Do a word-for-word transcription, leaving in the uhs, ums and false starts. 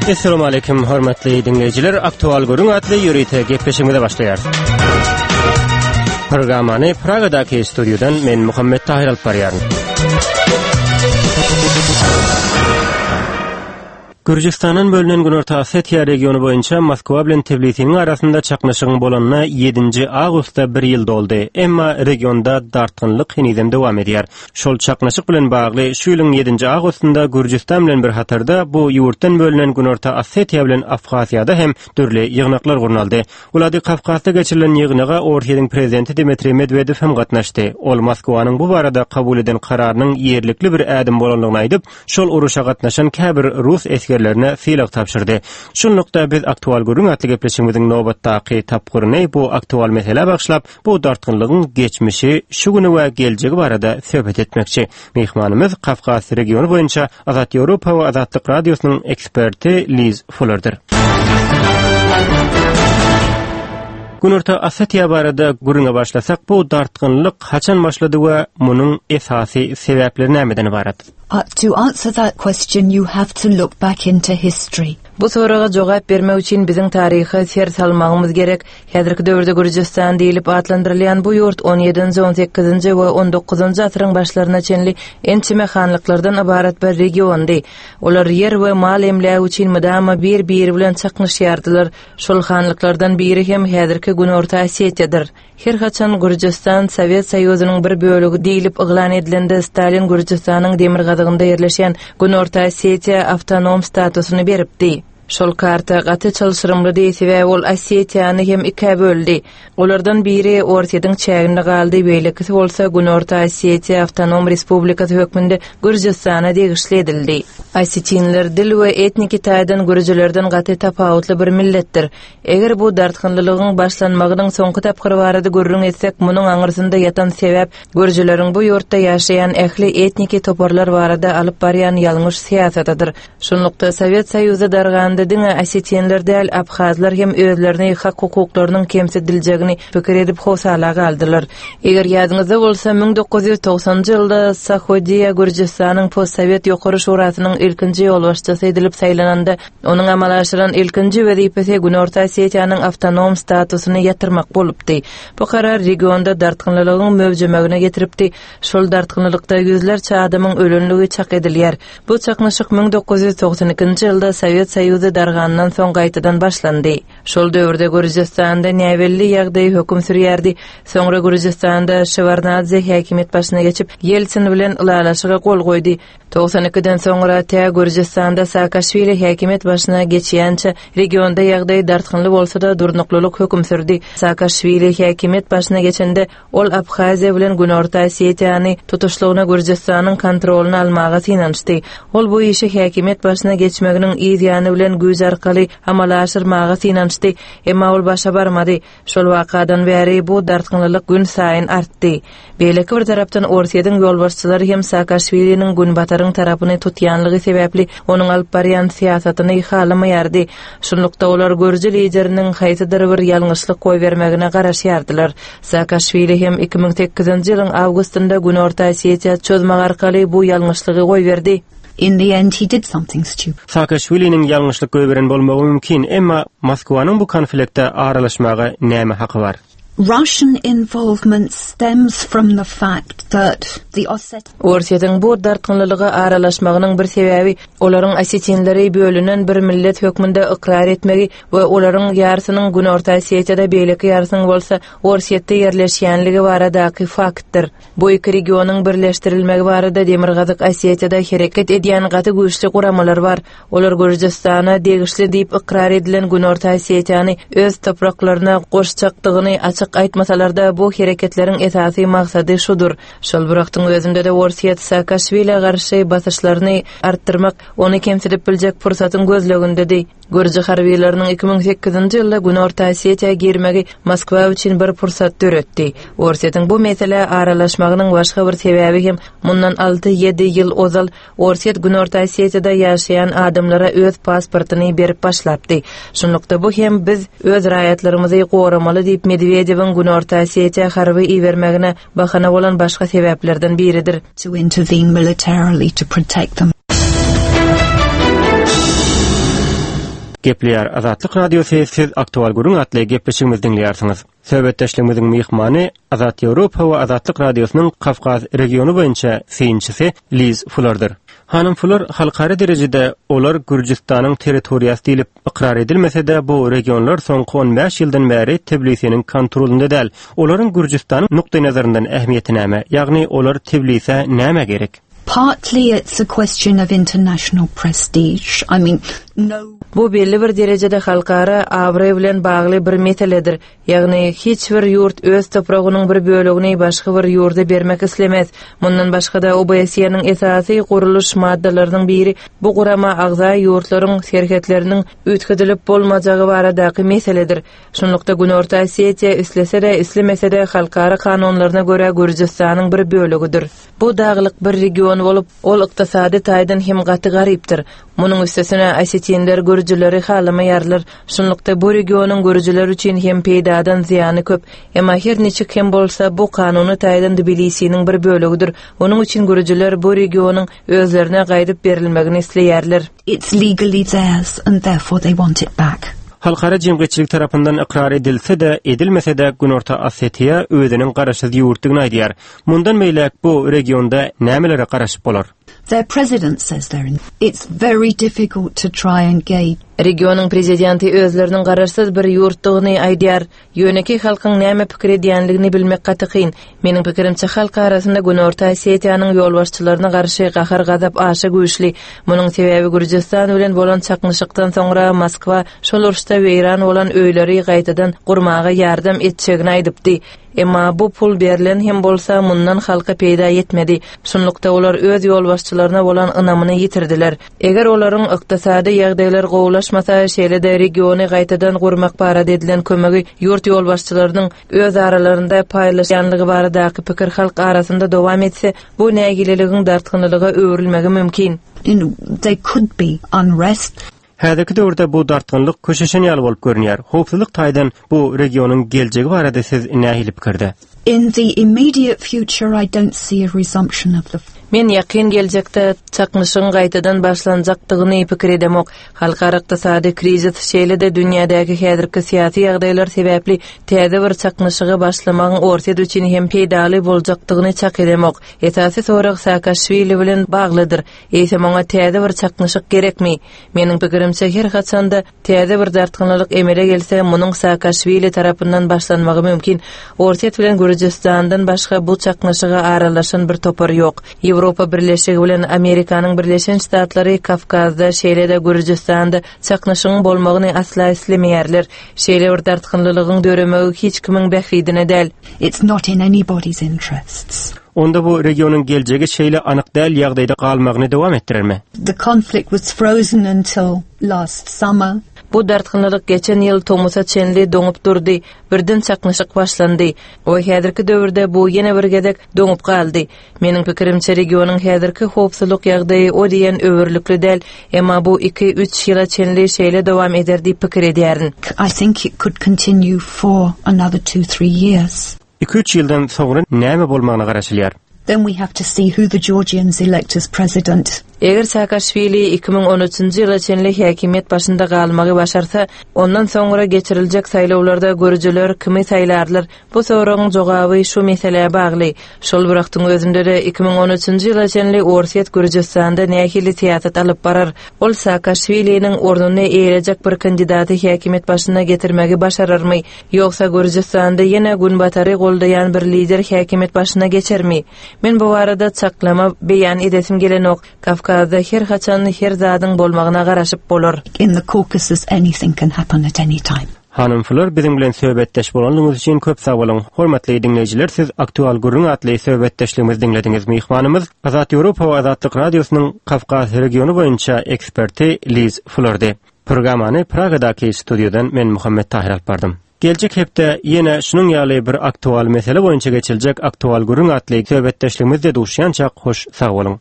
Essalamu aleýkum hormatly diňleýjiler. Aktual gürrüň atly ýörite gepleşigimize başlaýarys. Programmany Pragadaky studiýadan men Muhammet Tahir alyp barýaryn. Gürjüstandan bölünen Günorta Osetiýa regiony boýunça Moskwa bilen Tbilisiniň arasynda çaknyşygyň bolanyna ýedinji awgustda bir ýyl doldy. Emma regionda dartgynlyk henizem dowam edýär. Şol çaknyşyk bilen bagly şu ýylyň ýedinji awgustynda Gürjüstan bilen bir hatarda bu ýurtdan bölünen Günorta Osetiýa bilen Abhaziýada hem dürli ýygnaklar gurnaldy. Wladikawkazda geçirilen ýygnaga Orsýetiň prezidenti Dmitriý Medwedew hem gatnaşdy. Ol Moskwanyň bu barada kabul eden kararynyň ýerlikli bir ädim bolandygyny aýdyp, şol uruşa gatnaşan käbir rus esgerlerine sylag tabşyrdy. Şunlukda biz aktual gürrüň atly gepleşigimiziň nobatdaky tapgyryny bu aktual meselä bagyşlap, bu dartgynlygyň geçmişi, şu güni we geljegi barada söhbet etmekçi. Myhmanymyz Kafkas regiony boýunça Azat Ýewropa we Azatlyk Radiosynyň eksperti Liz Fullerdir. Günorta Osetiýa barada gürrüňe başlasak, bu dartgynlyk haçan başlady we munuň esasy sebäpleri nämeden ybarat? Uh, to answer that question, you have to look back into history. Bu soraga jogap bermek üçin biziň taryha ser salmagymyz gerek. Häzirki döwürde Gürjüstan diýlip atlandyrylýan bu ýurt on ýedinji, on sekizinji we on dokuzynjy asyryň başlaryna çenli ençeme hanlyklardan ybarat bir regiondy. Olar ýer we mal emlägi üçin mydama bir-biri bilen çaknyşýardylar. Şol hanlyklardan biri hem häzirki Günorta Osetiýadyr. Her haçan Gürjüstan Sowet Soýuzynyň bir bölegi diýlip yglan edilende Stalin Gürjüstanyň demirgazygynda ýerleşen Günorta Osetiýa awtonom statusyny beripdi. Şol karta gaty çylşyrymlydy, sebäbi ol Osetiýany hem ikä böldi. Olardan biri Orsýetiň çäginde galdy, beýlekisi bolsa Günorta Osetiýa Awtonom Respublikasy hökmünde Gürjüstana degişli edildi. Osetinler dil we etniki taýdan gürjülerden gaty tapawutly bir milletdir. Eger bu dartgynlylygyň başlanmagynyň soňky tapgyry barada gürrüň etsek, munuň aňyrsynda ýatan sebäp gürjüleriň bu ýurtda ýaşaýan ähli etniki toparlar barada alyp barýan ýalňyş syýasatydyr. Şunlukda Sowet Soýuzy darganda diňe osetinler däl, abhazlar hem özlerini hak hukuklarynyň kemsidiljegini pikir edip howsala galdylar. Eger ýadyňyzda bolsa, müň dokuz ýüz togsanjy ýylda Sahodiýa Gürjüstanyň postsowet ýokary şurasynyň ilkinji ýolbaşçysy edilip saýlananda, onuň amala aşyran ilkinji wezipesi Günorta Osetiýanyň awtonom statusyny ýatyrmak bolupdy. Bu karar regionda dartgynlylygyň möwjemegine getiripdi. Şol dartgynlylykda ýüzlerçe adamyň ölenligi çak edilýär. Bu çaknyşyk müň dokuz ýüz togsan ikinji ýylda Sowet Soýuzy dargandan soň gaýtadan başlandy. Şol döwürde Gürjüstanda näbelli ýagdaý höküm sürýärdi. Soňra Gürjüstanda Şewarnadze häkimiýet başyna geçip, Ýeltsin bilen ylalaşyga gol goýdy. Togsan ikiden soňra tä Gürjüstanda Saakaşwili häkimiýet başyna geçýänçe regionda ýagdaý dartgynly bolsa-da durnuklylyk höküm sürdi. Saakaşwili häkimiýet başyna geçende ol Abhaziýa bilen Günorta Osetiýany tutuşlygyna Gürjüstanyň kontrolyny almaga synanyşdy. Ol bu işi häkimiýet başyna geçmeginiň yz ýany bilen güýç arkaly amala aşyrmaga synanyşdy, emma ol başa barmady. Şol wakadan bäri bu dartgynlylyk gün saýyn artdy. Beýleki bir tarapdan Orsýetiň ýolbaşçylary hem Saakaşwiliniň günbataryň tarapyny tutýanlygy sebäpli onuň alyp barýan syýasatyny halamaýardy. Şunlukda olar gürji lideriniň haýsydyr bir ýalňyşlyk goýbermegine garaşýardylar. Saakaşwili hem iki müň sekizinji ýylyň awgustynda Günorta Osetiýa çözmek arkaly bu ýalňyşlygy goýberdi. In the end, he did something stupid. Saakaşwiliniň ýalňyşlyk goýberen bolmagy mümkin, emma Moskwanyň bu konflikte aralaşmaga näme haky bar? Russian involvement stems from the fact that the Osset Orsýetiň bu dartgynlylyga aralaşmagynyň bir sebäbi olaryň osetinleri bölünen bir millet hökmünde ykrar etmegi we olaryň ýarsynyň Günorta Osetiýada, beýleki ýarsynyň bolsa Orsýetde ýerleşýänligi baradaky faktdyr. Bu iki regionyň birleşdirilmegi barada Demirgazyk Osetiýada hereket edýän gaty güýçli guramalar bar. Olar Gürjüstana degişli diýip ykrar edilen Günorta Osetiýany öz topraklaryna goşjakdygyny açyk aýtmasalar-da bu hereketleriň esasy maksady şudur. Şol bir wagtyň özünde de Orsýet Saakaşwilä garşy basyşlaryny artdyrmak, ony kemsidip biljek pursatyň gözlegindedi. Gürji harbiýlarynyň iki müň sekizinji ýylda Günorta Osetiýa girmegi Moskwa üçin bir pursat döretdi. Orsýetiň bu meselä aralaşmagynyň başga bir sebäbi hem mundan alty ýedi ýyl ozal Orsýet Günorta Osetiýada ýaşaýan adamlara öz pasportyny berip başlapdy. Şunlukda bu hem biz öz raýatlarymyzy goramaly diýip Medwedewiň Günorta Osetiýa harby ibermegine bahana bolan başga sebäplerden biridir. To intervene militarily to protect them. Gepleýär Azatlyk Radiosy, siz Aktual Gürrüň atly gepleşigimizi diňleýärsiňiz. Söhbetdeşligimiziň myhmany Azat Ýewropa we Azatlyk Radiosynyň Kafkas regiony boýunça synçysy Liz Fullerdir. Hanym Fuller halkara derejede olar Gürjüstanyň territoriýasy diýlip ykrar edilmese-de bu regionlar soňky on bäş ýyldan bäri Tbilisiniň kontrolynda däl. Olaryň Gürjüstanyň nukdaý nazaryndan ähmiýeti näme? Ýagny olar Tbilisä näme gerek? Partly it's a question of international prestige. I mean, no. Bu belli bir derejede halkara abraý bilen bagly bir meseledir. Ýagny hiç bir ýurt öz topragynyň bir bölegini başga bir ýurda bermek islemez. Mundan başga-da O B S E-niň esasy gurluş maddalarynyň biri bu gurama agza ýurtlaryň serhetleriniň üýtgedilip bolmajagy baradaky meseledir. Şunlukda Günorta Osetiýa islese-de islemese-de halkara kanunlaryna görä Gürjüstanyň bir bölegidir. Bu daglyk bir region bolup, ol ykdysady taýdan hem gaty garypdyr. Munuň üstesine osetinler gürjüleri halamaýarlar. Şunlukda bu regionyň gürjüler üçin hem peýdadan zyýany köp. Emma her niçik hem bolsa bu kanuny taýdan Tbilisiniň bir bölegidir. Onuň üçin gürjüler bu regionyň özlerine gaýdyp berilmegini isleýärler. It's legally theirs and therefore they want it back. Halkara jemgyýetçilik tarapyndan ykrar edilse-de, edilmese-de Günorta Osetiýa özüniň garaşsyz ýurtdygyny aýdýar. Mundan beýläk bu regionda nämelere garaşyp bolar? Their president says they're in. It's very difficult to try and gauge. Regionyň prezidenti özleriniň garaşsyz bir ýurtdygyny aýdýar. Ýönekeý halkyň näme pikir edýänligini bilmek gaty kyn. Meniň pikirimçe halk arasynda Günorta Osetiýanyň ýolbaşçylaryna garşy gahar-gazap aşa güýçli. Munuň sebäbi Gürjüstan bilen bolan çaknyşykdan soňra Moskwa şol uruşda weýran bolan öýleri gaýtadan gurmaga ýardam etjegini aýdypdy. Emma bu pul berlen hem bolsa mundan halka peýda ýetmedi. Şunlukda olar öz ýolbaşçylaryna bolan ynamyny ýitirdiler. Eger olaryň ykdysady ýagdaýlary gowulaşmasa, şeýle-de regiony gaýtadan gurmak barada edilen kömegi ýurt ýolbaşçylarynyň öz aralarynda paýlaşýanlygy baradaky pikir halk arasynda dowam etse, bu nägileligiň dartgynlyga öwrülmegi mümkin. You know, there could be unrest. Häzirki döwürde bu dartgynlyk köşeşen ýaly bolup görünýär. Howpsuzlyk taýdan bu regionyň geljegi barada siz nähili pikirde? In the immediate future, I don't see a resumption of the Men ýakyn geljekde çaknyşygyň gaýtadan başlanjakdygyny pikir edemok. Halkara ykdysady krizis şeýle-de dünýädäki häzirki syýasy ýagdaýlar sebäpli täze bir çaknyşygy başlamagyň Orsýet üçin hem peýdaly boljakdygyny çak edemok. Esasy sorag Saakaşwili bilen baglydyr. Eýsem oňa täze bir çaknyşyk gerekmi? Meniň pikirimçe her haçanda täze bir dartgynlyk emele gelse, munuň Saakaşwili tarapyndan başlanmagy mümkin. Orsýet bilen Gürjüstandan başga bu çaknyşyga aralaşan bir topar ýok. Ýewropa Birleşigi bilen Amerikanyň Birleşen Ştatlary Kafkazda, şeýle-de Gürjüstanda çaknyşygyň bolmagyny asla islemeýärler. Şeýle bir dartgynlygyň döremegi hiç kimiň bähbidine däl. It's not in anybody's interests. Onda bu regionyň geljegi şeýle anyk däl ýagdaýda galmagyny dowam etdirermi? The conflict was frozen until last summer. Bu dartgynlyk geçen ýyl tomusa çenli doňup durdy. Birden çaknyşyk başlandy. O häzirki döwürde bu ýene bir gezek doňup galdy. Meniň pikirimçe regionyň häzirki howpsuzlyk ýagdaýy o diýen öwürlikli däl, emma bu iki üç ýyla çenli şeýle dowam eder diýip pikir edýärin. I think it could continue for another two, three years. iki üç ýyldan soňra näme bolmagyna garaşylýar? Then we have to see who the Georgians elect as president. Eger Saakaşwili iki müň on üçünji ýyla çenli häkimiýet başynda galmagy başarsa, ondan soňra geçiriljek saýlawlarda gürjüler kimi saýlarlar? Bu soragyň jogaby şu meselä bagly. Şol bir wagtyň özünde de iki müň on üçünji ýyla çenli Orsýet Gürjüstanda nähili syýasat alyp barar? Ol Saakaşwiliniň ornuny eýelejek bir kandidaty häkimiýet başyna getirmegi başararmy? Ýogsa Gürjüstanda ýene günbatary goldaýan bir lider häkimiýet başyna geçermi? Men bu barada çaklama beýan edesim gelenok. Kafkazda her haçan her zadyň bolmagyna garaşyp bolar. In the Caucasus, anything can happen at any time. Hanym Fuller biziň bilen söhbetdeş bolanlygyňyz üçin köp sag boluň. Hormatly diňleýjiler, siz Aktual Gürrüň atly söhbetdeşligimizi diňlediňiz. Myhmanymyz Azat Ýewropa we Azatlyk Radiosynyň Kafkas regiony boýunça eksperti Liz Fullerdi. Programmany Pragadaky studiýadan men Muhammet Tahir alyp bardym. Geljek hepde ýene şunuň ýaly bir aktual mesele boýunça geçiljek Aktual Gürrüň atly söhbetdeşligimizde duşýança hoş sag boluň.